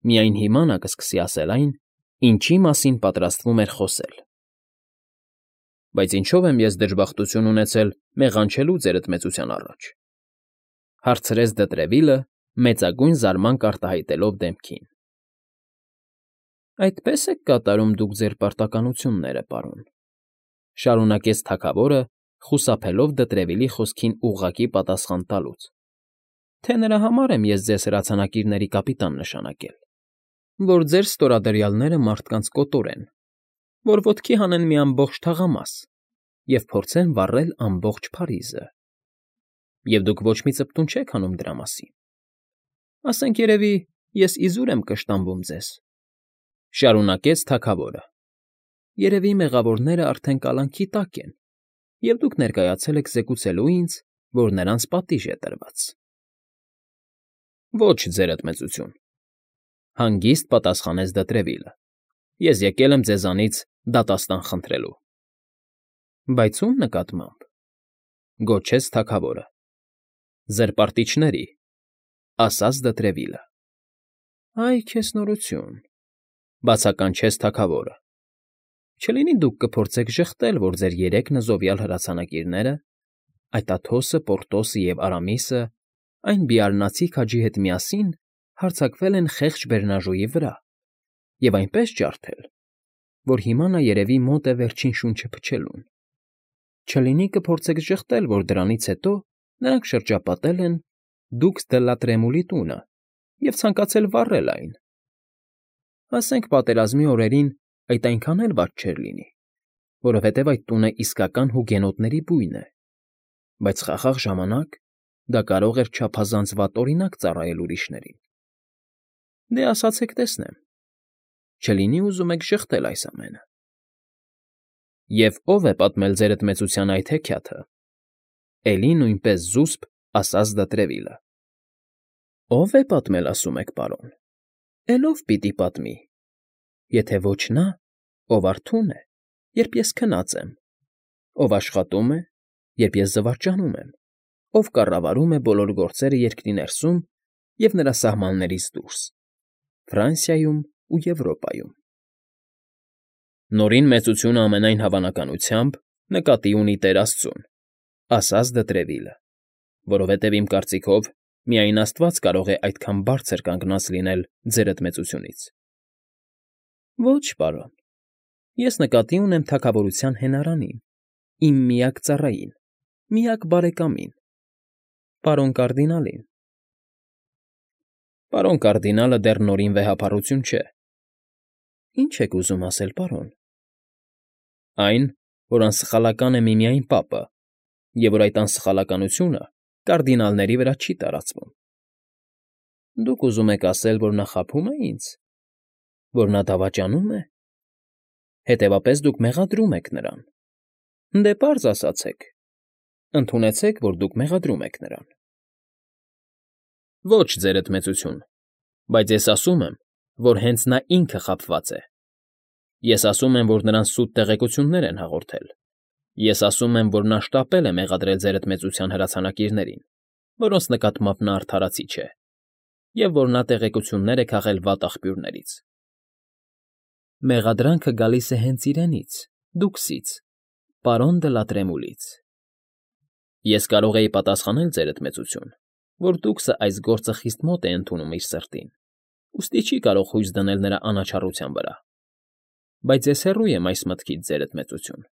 Միայն հիմա նա կսկսի ասել այն, ինչի մասին պատրաստվում էր խոսել։ Բայց ինչո՞վ եմ ես դժբախտություն ունեցել մեղանչելու ձերդ մեծության առաջ,֊ հարցրեց Դետրևիլը, մեծագույն զարմանք արտահայտելով դեմքին։ ֊ Այդպե՞ս եք կատարում դուք ձեր պարտականությունները, պարոն,֊ շարունակեց թագավորը, խուսափելով Դետրևիլի խոսքին ուղղակի պատասխան տալուց,֊ թե նրա համար եմ ես ձեզ հրացանակիրների կապիտան նշանակել, որ ձեր ստորադրյալները մարդկանց կոտորեն, որ ոտքի հանեն մի ամբողջ թաղամաս և փորձեն վառել ամբողջ Փարիզը, և դուք ոչ մի ծպտուն չեք հանում դրա մասին։ Ասենք երևի ես իզուր եմ կշտամբում ձեզ,֊ շարունակեց թագավորը,֊ երևի մեղավորները արդեն կալանքի տակ են, և դուք ներկայացել եք զեկուցելու ինձ, որ նրանց պատիժ է տրված։ ֊ Ոչ, ձերդ մեծություն,֊ հանգիստ պատասխանեց Դետրևիլը,֊ ես եկել եմ ձեզանից դատաստան խնդրելու։ ֊ Բայց ո՞ւմ նկատմամբ,֊ գոչեց թագավորը։ ֊ Զրպարտիչների,֊ ասաց Դետրևիլը։ ֊ Այ քեզ նորություն,֊ բացականչեց թագավորը։ ֊ Չլինի դուք կփորձեք ժխտել, որ ձեր երեք նզովյալ հրացանակիրները՝ այդ Աթոսը, Պորտոսը և Արամիսը, այն բիառնացի քաջի հետ միասին հարձակվել են խեղճ բեռնաժոյի վրա և այնպես ջարդել, որ հիմա նա երևի մոտ է վերջին շունչը փչելուն։ Չլինի կփորձեք ժխտել, որ դրանից հետո նրանք շրջապատել են Դուքս դե լա Տրեմուլի տունը և ցանկացել վառել այն։ Ասենք պատերազմի օրերին այդ այնքան էլ վատ չէր լինի, որովհետև այդ տունը իսկական հուգենոտների բույն է, բայց խաղաղ ժամանակ դա կարող էր չափազանց վատ օրինակ ծառայել ուրիշներին։ Դե ասացեք տեսնեմ, չլինի ուզում եք ժխտել այս ամենը։ ֊ Եվ ո՞վ է պատմել ձերդ մեծության այդ հեքիաթը,֊ էլի նույնպես զուսպ ասաց Դետրևիլը։ ֊ Ո՞վ է պատմել, ասում եք, պարոն, էլ ով պիտի պատմի, եթե ոչ նա, ով արթուն է, երբ ես քնած եմ, ով աշխատում է, երբ ես զվարճանում եմ, ով կառավարում է բոլոր գործերը երկրի ներսում և նրա սահմաններից դուրս, Ֆրանսիայում ու Եվրոպայում։ ֊ Նորին մեծությունը ամենայն հավանականությամբ նկատի ունի Տեր Աստծուն,֊ ասաց Դետրևիլը,֊ որովհետև իմ կարծիքով միայն Աստված կարող է այդքան բարձր կանգնած լինել ձերդ մեծությունից։ ֊ Ոչ, պարոն, ես նկատի ունեմ թագավորության հենարանին, իմ միակ ծառային, միակ բարեկամին, պարոն կարդինալին։ ֊ Պարոն կարդինալը դեռ նորին վեհափառություն չէ։ ֊ Ի՞նչ եք ուզում ասել, պարոն։ ֊ Այն, որ անսխալական է միմիայն պապը, և որ այդ անսխալականությունը կարդինալների վրա չի տարածվում։ ֊ Դուք ուզում եք ասել, որ նա խաբում է ինձ, որ նա դավաճանում է։ Հետևաբար դուք մեղադրում եք նրան։ Դե պարզ ասացեք, ընդունեցեք, որ դուք մեղադրում եք նրան։ ֊ Ոչ, ձերդ մեծություն, բայց ես ասում եմ, որ հենց նա ինքը խաբված է։ Ես ասում եմ, որ նրան սուտ տեղեկություններ են հաղորդել։ Ես ասում եմ, որ նա շտապել է մեղադրել ձերդ մեծության հրացանակիրներին, որոնց նկատմամբ նա արդարացի չէ, և որ նա տեղեկություններ է քաղել վատ աղբյուրներից։ ֊ Մեղադրանքը գալիս է հենց իրենից, Դուքսից, պարոն դը լա Տրեմուլից։ Ես կարող էի պատասխանել, ձերդ մեծություն, որ Դուքսը այս գործը խիստ մոտ է ընդունում իր սրտին, ուստի չի կարող հույս դնել նրա անաչառության վրա։ Բայց ես հեռու եմ այս մտքից, ձերդ մեծություն։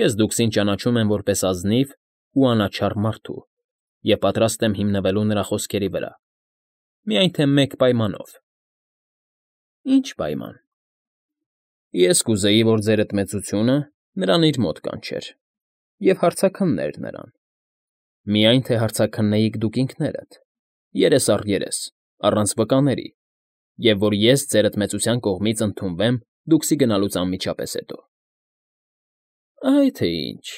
Ես Դուքսին ճանաչում եմ որպես ազնիվ ու անաչառ մարդու և պատրաստ եմ հիմնվելու նրա խոսքերի վրա, միայն թե մեկ պայմանով։ ֊ Ի՞նչ պայման։ ֊ Ես կուզեի, որ ձերդ մեծությունը նրան իր մոտ կանչեր և հարցաքններ նրան, միայն թե հարցաքննեիք դուք ինքներդ, երես առ երես, առանց վկաների, և որ ես ձերդ մեծության կողմից ընդունվեմ Դուքսի գնալուց անմիջապես հետո։ ֊ Այ թե ինչ,֊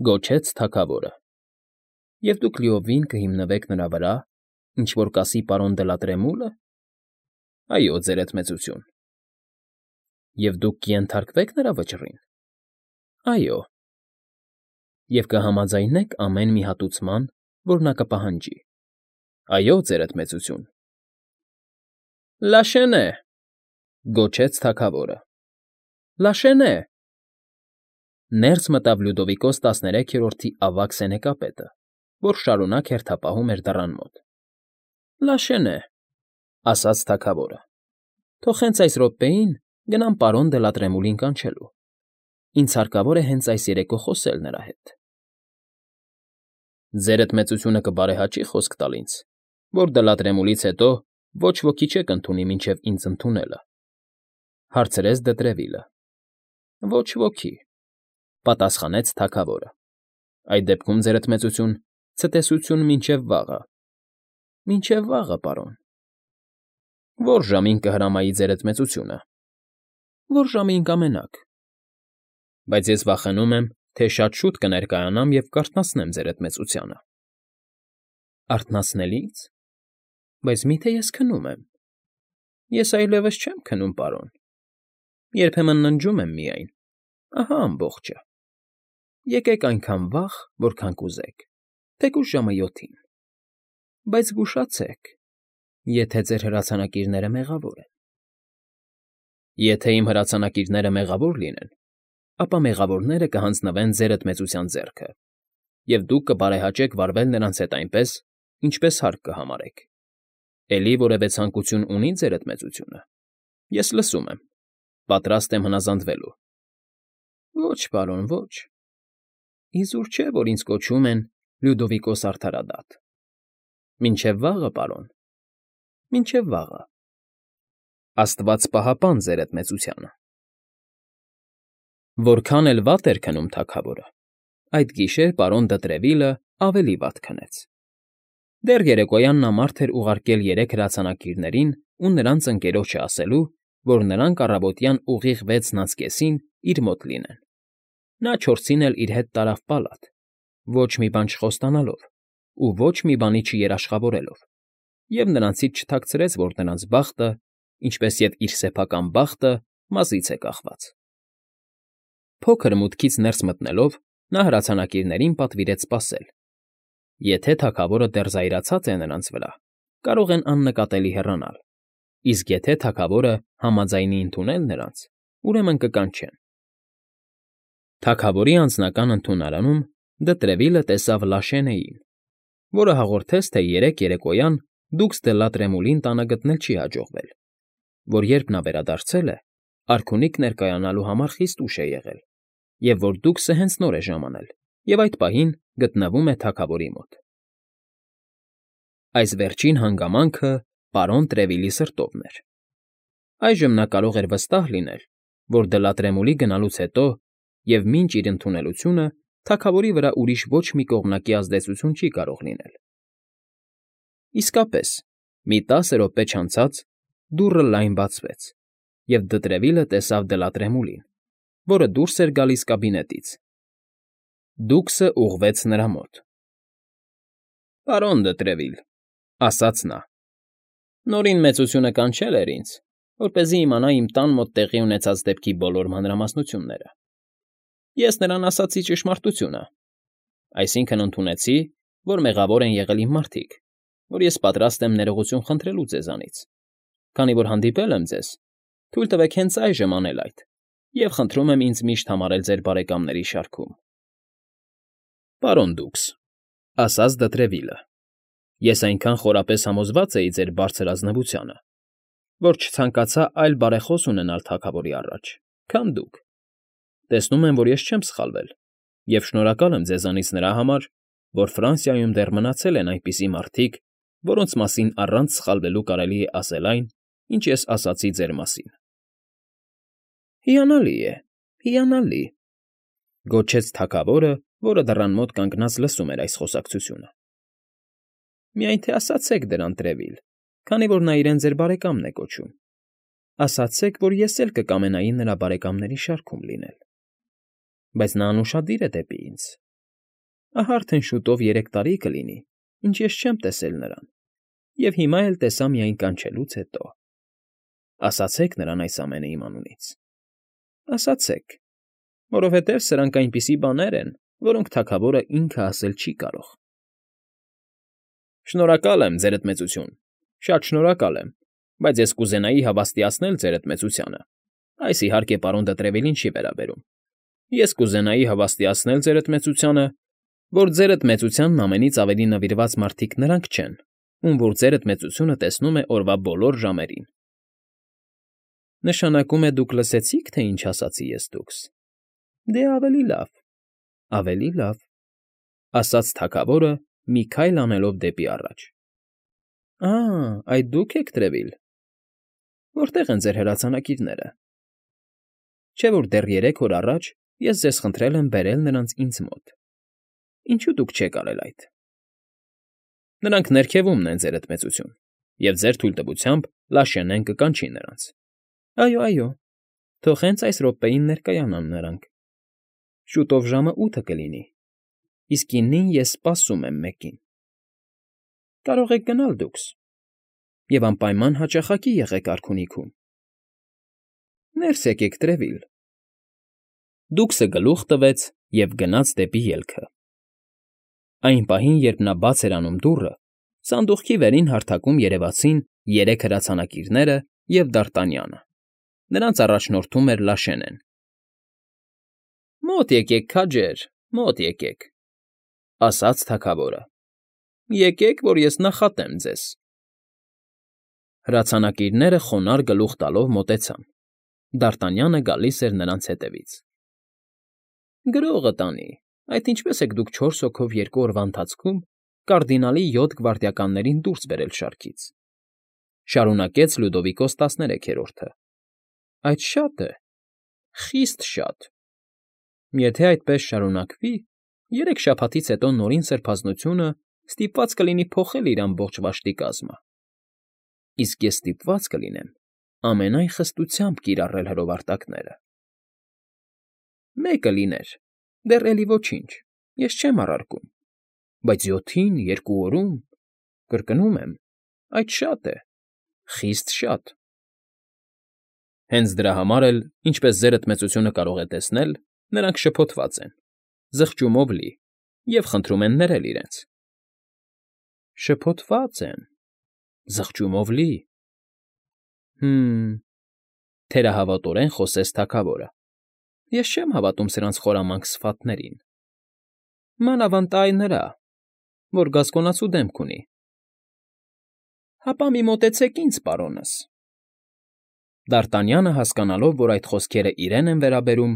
գոչեց թագավորը,֊ և դուք լիովին կհիմնվեք նրա վրա, ինչ որ կասի պարոն դը լա Տրեմուլը։ ֊ Այո, ձերդ մեծություն։ ֊ Եվ դուք կենթարկվեք նրա վճռին։ ֊ Այո։ ֊ Եվ կհամաձայնեք ամեն մի հատուցման, որ նա կպահանջի։ ֊ Այո, ձերդ մեծություն։ Լաշենե, գոչեց թագավորը։ Լաշենե։ Ներս մտավ Լյուդովիկոս 13-րդի ավագ սենեկապետը, որ շարունակ հերթապահում էր դռան մոտ։ Լաշենե, ասաց թագավորը, թող հենց այս րոպեին գնամ պարոն Դելատրեմուլին կանչելու։ Ինձ հարկավոր է հենց այս երեկո խոսել նրա հետ։ Ձերդ մեծությունը կբարեհաճի խոսք տալ ինձ, որ Դելատրեմուլից հետո ոչ ոքի չեք ընդունի մինչև ինձ ընդունելը, հարցրեց Դետրևիլը։ Ոչ ոքի, պատասխանեց թագավորը։ Այդ դեպքում, ձերդ մեծություն, ցտեսություն մինչև վաղը։ Մինչև վաղը, պարոն։ Որ ժամին կհրամայի ձերդ մեծությունը։ Որ ժամին կամենաք։ Բայց ես վախենում եմ, թե շատ շուտ կներկայանամ և կարթնացնեմ ձերդ մեծությանը։ Արթնացնել ինձ։ Բայց միթե ես քնում եմ։ Ես այլևս չեմ քնում, պարոն։ Երբեմն ննջում եմ միայն։ Ահա ամբողջը։ Եկեք այնքան վաղ, որքան կուզեք, թեկուզ ժամը 7-ին։ Բայց զգուշացեք, եթե ձեր հրացանակիրները մեղավոր են։ Եթե իմ հրացանակիրները մեղավոր լինեն, ապա մեղավորները կհանձնվեն ձերդ մեծության ձեռքը, և դուք կբարեհաճեք վարվել նրանց հետ այնպես, ինչպես հարկ կհամարեք։ Էլի որևէ ցանկություն ունի ձերդ մեծությունը։ Ես լսում եմ, պատրաստ եմ հնազանդվելու։ Ոչ, պարոն, ոչ։ Իզուր չէ, որ ինձ կոչում են Լյուդովիկոս արդարադատ։ Մինչև վաղը, պարոն, մինչև վաղը։ Աստված պահապան ձերդ մեծությանը։ Որքան էլ վատ էր քնում թագավորը, այդ գիշեր պարոն Դետրևիլը ավելի վատ քնեց։ Դեռ երեկոյան նա մարդ էր ուղարկել 3 հրացանակիրներին ու նրանց ընկերոջը ասելու, որ նրանք առավոտյան ուղիղ 6:30-ին իր մոտ լինեն։ Նա 4-ին էլ իր հետ տարավ պալատ, ոչ մի բան չխոստանալով ու ոչ մի բանի չերաշխավորելով, և նրանցից չթաքցրեց, որ նրանց բախտը, ինչպես և իր սեփական բախտը, մազից է կախված։ Փոքր մուտքից ներս մտնելով, նա հրացանակիրներին պատվիրեց սպասել։ Եթե թագավորը դեռ զայրացած է նրանց վրա, կարող են աննկատելի հեռանալ, իսկ եթե թագավորը համաձայնի ընդունել նրանց, ուրեմն կկանչեն։ Թագավորի անձնական ընդունարանում Դետրևիլը տեսավ Լաշենեին, որը հաղորդեց, թե երեկոյան դուքս Դելատրեմուլին տանը գտնել չի հաջողվել, որ երբ նա վերադարձել է, արքունիք ներկայանալու համար խիստ ուշ է եղել, և որ դուքսը հենց նոր է ժամանել և այդ պահին գտնվում է թագավորի մոտ։ Այս վերջին հանգամանքը պարոն Տրևիլի սրտովն էր։ Այժմ նա կարող էր վստահ լինել, որ Դելատրեմուլի գնալուց հետո և մինչ իր ընդունելությունը թագավորի վրա ուրիշ ոչ մի կողմնակի ազդեցություն չի կարող լինել։ Իսկապես, մի 10 րոպե չանցած դուռը լայն բացվեց, և Դետրևիլը տեսավ Դելատրեմուլին, որը դուրս էր գալիս կաբինետից։ Դուքսը ուղղվեց նրա մոտ։ Պարոն Դետրևիլ, ասաց նա, նորին մեծությունը կանչել էր ինձ, որպեսզի իմանա իմ տան մոտ տեղի ունեցած դեպքի բոլոր մանրամասնությունները։ Ես նրան ասացի ճշմարտությունը, այսինքն ընդունեցի, որ մեղավոր են եղել իմ մարդիկ, որ ես պատրաստ եմ ներողություն խնդրելու ձեզանից, քանի որ հանդիպել եմ ձեզ, թույլ տվեք հենց այժմ անել այդ, և խնդրում եմ ինձ միշտ համարել ձեր բարեկամների շարքում։ Պարոն դուքս, ասաց Դետրևիլը, ես այնքան խորապես համոզված էի ձեր բարձր ազնվությանը, որ չցանկացա այլ բարեխոս ունենալ թագավորի առաջ, քան դուք։ Տեսնում եմ, որ ես չեմ սխալվել, և շնորհակալ եմ ձեզանից նրա համար, որ Ֆրանսիայում դեռ մնացել են այնպիսի մարդիկ, որոնց մասին առանց սխալվելու կարելի է ասել այն, ինչ ես ասացի ձեր մասին։ Հիանալի է, հիանալի, գոչեց թագավորը, որը դռան մոտ կանգնած լսում էր այս խոսակցությունը։ Միայն թե ասացեք դրան Տրևիլ, քանի որ նա իրեն ձեր բարեկամն է կոչում։ Ասացեք, որ ես էլ կկամենայի նրա բարեկամների շարքում լինել։ Բայց նա անուշադիր է դեպի ինձ։ Ահա արդեն շուտով 3 տարի կլինի, ինչ ես չեմ տեսել նրան, և հիմա էլ տեսա միայն կանչելուց հետո։ Ասացեք նրան այս ամենը իմ անունից։ Ասացեք, որովհետև սրանք այնպիսի բաներ են, որոնք թագավորը ինքը ասել չի կարող։ Շնորհակալ եմ, ձերդ մեծություն, շատ շնորհակալ եմ, բայց ես կուզենայի հավաստիացնել ձեր այդ մեծությանը. այս, իհարկե, պարոն Դետրևիլին չի վերաբերում. ես կուզենայի հավաստիացնել ձեր այդ մեծությանը, որ ձեր այդ մեծությանն ամենից ավելի նվիրված մարդիկ նրանք չեն, ում որ ձեր այդ մեծությունը տեսնում է օրվա բոլոր ժամերին։ Նշանակում է դուք լսեցիք, թե ինչ ասացի ես դուքս։ Դե ավելի լավ, ավելի լավ, ասաց թագավորը, մի քայլ անելով դեպի առաջ։ Այդ դուք եք, Տրևիլ։ Որտե՞ղ են ձեր հրացանակիրները։ Չէ՞ որ դեռ 3 օր առաջ ես ձեզ խնդրել եմ բերել նրանց ինձ մոտ։ Ինչու դուք չեք արել այդ։ Նրանք ներքևումն են, ձեր այդ մեծություն, և ձեր թույլտվությամբ Լաշենեն կկանչի նրանց։ Այո, թող հենց այս րոպեին ներկայանան նրանք։ Շուտով ժամը 8 կլինի, իսկ 9-ին ես սպասում եմ մեկին։ Կարող եք գնալ դուքս, և անպայման հաճախակի եղեք արքունիքում։ Ներս եկեք, Տրևիլ։ Դուքսը գլուխ տվեց և գնաց դեպի ելքը։ Այն պահին, երբ նա բաց էր անում դուռը, սանդուղքի վերին հարթակում երևացին 3 հրացանակիրները և Դարտանյանը։ Նրանց առաջնորդում էր Լաշենեն։ Մոտ եկեք, քաջեր, մոտ եկեք, ասաց թագավորը։ Եկեք, որ ես նախատեմ ձեզ։ Հրացանակիրները խոնարհ գլուխ տալով մոտեցան։ Դարտանյանը գալիս էր նրանց հետևից։ Գրողը տանի, այդ ինչպես եք դուք 4 հոգով 2 օրվա ընթացքում կարդինալի 7 գվարդիականներին դուրս բերել շարքից, շարունակեց Լյուդովիկոս 13-րդը։ Այդ շատ է, խիստ շատ։ Եթե այդպես շարունակվի, 3 շաբաթից հետո Նորին Սրբազնությունը ստիպված կլինի փոխել իր ամբողջ վաշտի կազմը։ Իսկ ես ստիպված կլինեմ ամենայն խստությամբ կիրառել հրովարտակները։ Մեկը լիներ, դեռ էլի ոչինչ, ես չեմ առարկում, բայց 7-ին, 2 օրում, կրկնում եմ, այդ շատ է, խիստ շատ։ Հենց դրա համար էլ, ինչպես ձեր այդ մեծությունը կարող է տեսնել, նրանք շփոթված են, զղջումով լի, և խնդրում են ներել իրենց։ Շփոթված են, զղջումով լի։ Թերահավատորեն խոսեց թագավորը։ Ես չեմ հավատում սրանց խորամանկ սվաթներին։ Մանավանդ այն նրա, որ գասկոնացու դեմք ունի։ Հապա մի մոտեցեք ինձ, պարոնս։ Դարտանյանը, հասկանալով, որ այդ խոսքերը իրեն են վերաբերում,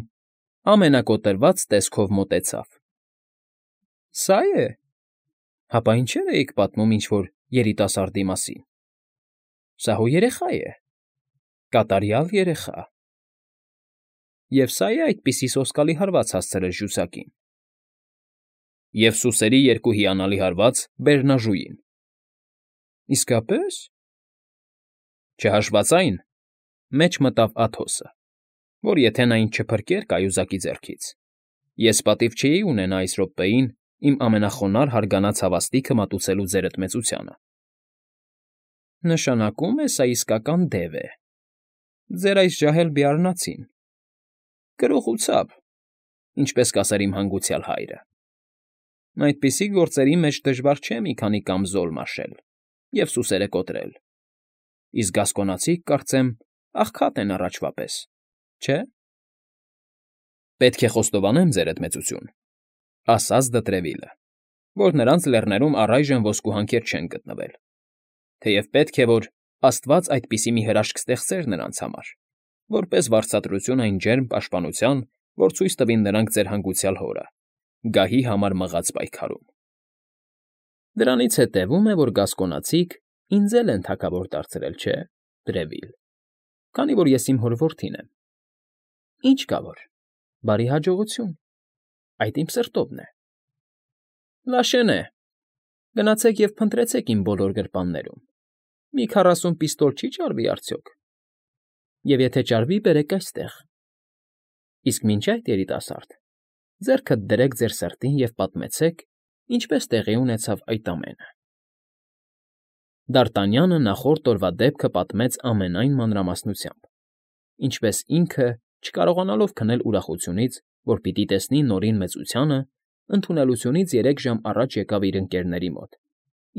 ամենակոտրված տեսքով մոտեցավ։ Սա՞ է։ Հապա ինչեր էիք պատմում ինչ֊որ երիտասարդի մասին։ Սա հո երեխա է, կատարյալ երեխա։ Եվ սա՞ է այդպիսի սոսկալի հարված հասցրել ժուսակին։ Եվ սուսերի 2 հիանալի հարված բերնաժուին։ Իսկապես։ Չհաշված այն, մեջ մտավ Աթոսը, որ եթե նա ինձ չփրկեր կայուզակի ձեռքից, ես պատիվ չէի ունենա այս րոպեին իմ ամենախոնարհ հարգանած հավաստիքը մատուցելու ձեր այդ մեծությանը։ Նշանակում է, սա իսկական դև է։ Ձեր այս ջահել բիառնացին։ Գրողությամբ, ինչպես կասեր իմ հանգուցյալ հայրը։ Այդպիսի գործերի մեջ դժվար չէ մի քանի կամզոլ մաշել և սուսերը կոտրել։ Իսկ գասկոնացիք, կարծեմ, աղքատ են առաջվա պես, չէ՞։ Պետք է խոստովանեմ, ձեր այդ մեծություն, ասաց Դտրևիլը, որ նրանց լեռներում առայժմ ոսկու հանքեր չեն գտնվել, թեև պետք է, որ Աստված այդպիսի մի հրաշք ստեղծեր նրանց համար, որպես վարձատրություն այն ջերմ պաշտպանության, որ ցույց տվին նրանք ձեր հանգուցյալ հորը, գահի համար մղած պայքարում։ Դրանից հետևում է, որ գասկոնացիք ինձ էլ են թագավոր դարձրել, չէ՞, Տրևիլ, քանի որ ես իմ հոր որդին եմ։ Ինչ կա որ, բարի հաջողություն, այդ իմ սրտովն է։ Լաշենե, գնացեք և փնտրեցեք իմ բոլոր գրպաններում։ Մի 40 պիստոլ չի ճարվի արդյոք։ Եվ եթե ճարվի, բերեք այստեղ։ Իսկ մինչ այդ, երիտասարդ, ձեռքդ դրեք ձեր սրտին և պատմեցեք, ինչպես տեղի ունեցավ այդ ամենը։ Դարտանյանը նախորդ օրվա դեպքը պատմեց ամենայն մանրամասնությամբ, ինչպես ինքը, չկարողանալով քնել ուրախությունից, որ պիտի տեսնի Նորին մեծությանը, ընդունելությունից 3 ժամ առաջ եկավ իր ընկերների մոտ,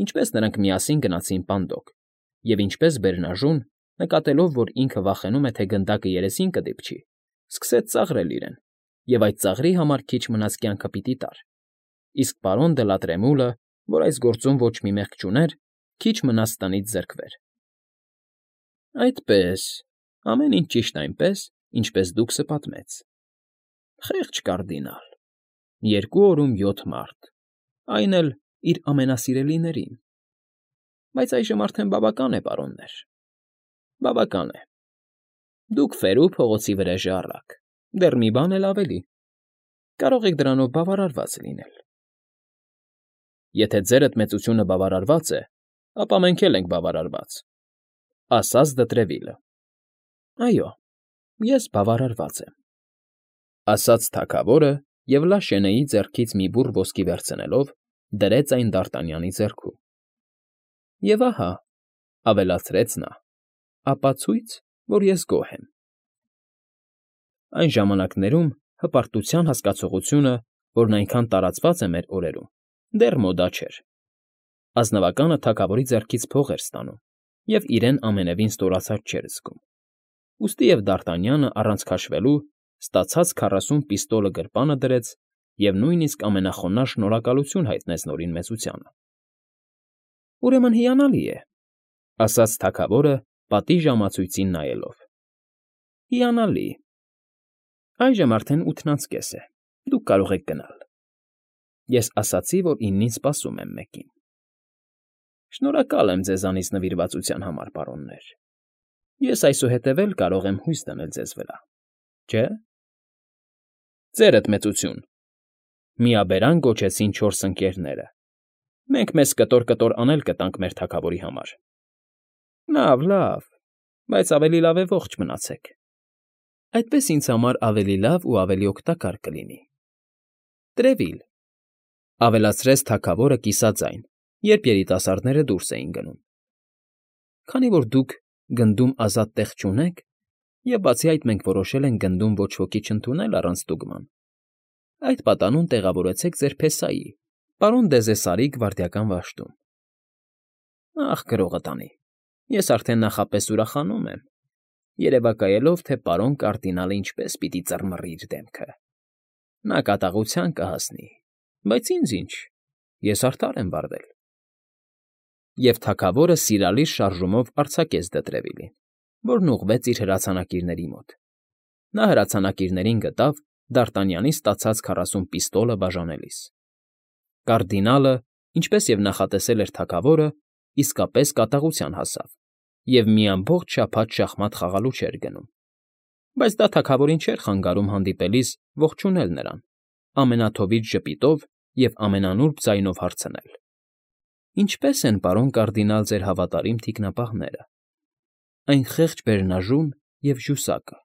ինչպես նրանք միասին գնացին Պանդոկ, և ինչպես բեռնաժուն, նկատելով, որ ինքը վախենում է, թե գնդակը երեսին կդիպչի, սկսեց ծաղրել իրեն և այդ ծաղրի համար քիչ մնաց կյանքը պիտի տար, իսկ պարոն Դլատրեմուլը, որ այս գործում ոչ մի մեղք չուներ, քիչ մնաց տնից զրկվեր։ ֊ Այդպես, ամեն ինչ ճիշտ այնպես, ինչպես դուքսը պատմեց, խեղճ կարդինալ, 2 օրում 7 մարդ, այն էլ իր ամենասիրելիներին, բայց այժմ արդեն բավական է, պարոններ, բավական է, դուք ֆերու փողոցի վրեժը առաք, դեռ մի բան էլ ավելի, կարող եք դրանով բավարարված լինել։ ֊ Եթե ձերդ մեծությունը բավարարված է, ապա մենք էլ ենք բավարարված, ֊ ասաց Դտրևիլը։ ֊ Այո, ես բավարարված եմ, ֊ ասաց թագավորը և Լաշենեի ձեռքից մի բուռ ոսկի վերցնելով, դրեց այն Դարտանյանի ձեռքում։ ֊ Եվ ահա, ֊ ավելացրեց նա, ֊ ապացույց, որ ես գոհ եմ։ Այն ժամանակներում հպարտության հասկացողությունը, որն այնքան տարածված է մեր օրերում, դեռ մոդա չէր։ Ազնվականը թագավորի ձեռքից փող էր ստանում և իրեն ամենևին ստորացած չէր զգում։ Ուստի և Դարտանյանը առանց քաշվելու ստացած 40 պիստոլը գրպանը դրեց և նույնիսկ ամենախոնարհ շնորհակալություն հայտնեց Նորին Մեծությանը։ ֊ Ուրեմն հիանալի է, ֊ ասաց թագավորը պատի ժամացույցին նայելով։ ֊ Հիանալի։ Այժմ արդեն 8:30 է, դուք կարող եք գնալ։ Ես ասացի, որ 9-ին սպասում եմ մեկին։ Շնորհակալ եմ ձեզանից նվիրվածության համար, պարոններ։ Ես այսուհետև էլ կարող եմ հույս դնել ձեզ վրա, չէ՞։ Ձերդ մեծություն, ֊ միաբերան գոչեցին 4 ընկերները։ Մենք մեզ կտոր անել կտանք մեր թագավորի համար։ Լավ, լավ, բայց ավելի լավ է ողջ մնացեք։ Այդպես ինձ համար ավելի լավ ու ավելի օգտակար կլինի։ Տրևիլ, ֊ ավելացրեց թագավորը կիսաձայն, երբ երիտասարդները դուրս էին գնում։ Քանի որ դուք գնդում ազատ տեղ չունեք, և բացի այդ մենք որոշել ենք գնդում ոչ ոքի չընդունել առանց ստուգման, այդ պատանուն տեղավորեցեք ձեր փեսայի, պարոն Դեզեսարի գվարդիական վաշտում։ Ախ, գրողը տանի, ես արդեն նախապես ուրախանում եմ, երևակայելով, թե պարոն կարդինալը ինչպես պիտի ծռմռի իր դեմքը։ Նա կատաղության կհասնի, բայց ինձ ինչ, ես արդար եմ վարվել։ Եվ թագավորը սիրալիր շարժումով արձակեց Դտրևիլին, որն ուղղվեց իր հրացանակիրների մոտ։ Նա հրացանակիրներին գտավ Դարտանյանի ստացած 40 պիստոլը բաժանելիս։ Կարդինալը, ինչպես և նախատեսել էր թագավորը, իսկապես կատաղության հասավ և մի ամբողջ շաբաթ շախմատ խաղալու չէր գնում, բայց դա թագավորին չէր խանգարում հանդիպելիս ողջունել նրան, ամենաթովիթ ժպիտով և ամենանուրբ ձայնով հարցնել. Ինչպե՞ս են, պարոն կարդինալ, ձեր հավատարիմ թիկնապահները, այն խեղճ բեռնաժուն և ժուսակը։